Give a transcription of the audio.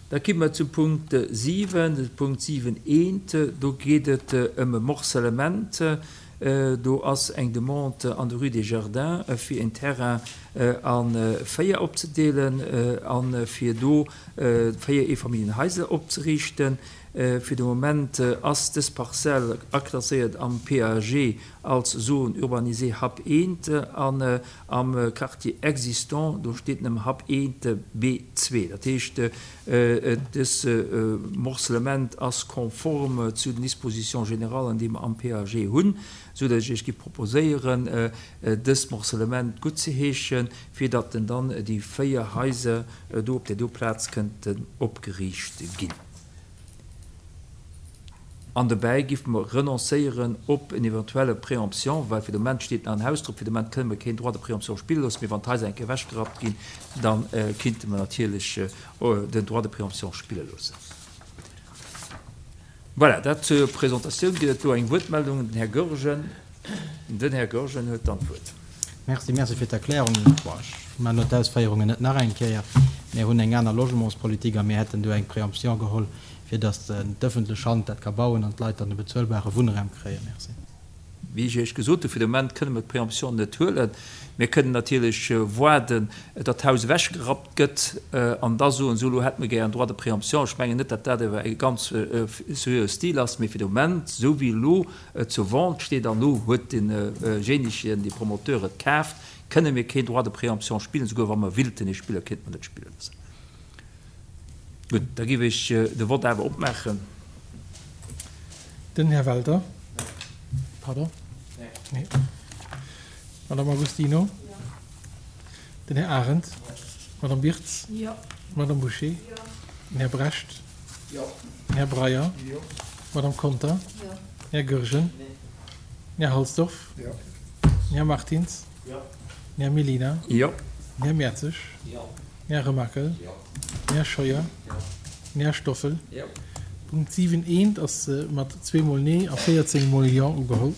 Da ki mer zum Punkt 7, de Punkt 7 eent, do geet et ëm e Morcellement. Do ass eng Demande an der Rue des Jardins, fir een Terrain a 4 opzedeelen a fir do 4 Eefamilljenhaiser opzeriichten. Fir de Moment ass dës Parzell aklasséiert am PAG als Zone urbanisée Hub 1 an am Quartier existant, do steet nëmme Hub 1 B2. Dat heescht, dës Morcellement ass konform zu den Dispositions générales, déi mer am PAG hunn, esou datt ech Iech giff proposéieren, dëst Morcellement guttzeheeschen, fir datt dann déi 4 Haiser do op där do Plaz kënnten opgeriicht ginn. An dobäi géife mer renoncéieren op en eventuelle Préemption, well fir de Moment steet nach en Haus drop, fir de Moment kënne mer keen Droit de préemption spille loossen, mee wann d'Haiser eng Kéier ewechgerappt ginn, da kinnte mer natierlech den Droit de préemption spille loossen. Voilà, dat zur Presentatioun. Gëtt et do eng Wuertmeldung? Den Här Goergen. Den Här Goergen huet dann d'Wuert. Merci, merci fir d'Erklärung. Bon, ech maachen elo d'Ausféierungen net nach eng Kéier. Mir hunn eng aner Logementspolitik a mir hätten do eng Préemption geholl, fir datt d'ëffentlech Hand dat ka bauen an d'Leit dann e bezuelbare Wunnraum kréien. Merci. Wéi ech Iech gesot hunn, fir de Moment kënne mer d'Préemption net huelen. Mir kënnen natierlech waarden, datt d'Haus ewechgerappt gëtt an da soen, esou elo hätte mer gär en Droit de préemption. Ech mengen net, datt dat awer e ganz seriöe Stil ass, mee fir de Moment, esou wéi elo et zur Vente steet an elo huet deejéinegen, dee Promoteur et kaaft, kënne mir keen Droit de préemption spillen. Esouguer wa mer willten ee spillen, kéinte mer net spille loossen. Gutt, da géif ech de Vott awer opmaachen. Den Här Welter. Pardon. Nee. Madame Agostino. Den Här Arendt. Madame Birtz. Madame Bouché. Den Här Brecht. Den Här Breyer. Madame Conter. Den Här Goergen. Den Här Halsdorf. Den Här Martins. Den Här Mellina. Den Här Mertzig. Den Här Remakel. Den Här Scheuer. Den Här Stoffel. Punkt 7 eent ass mat zweemol Nee a 14 mol Jo ugeholl.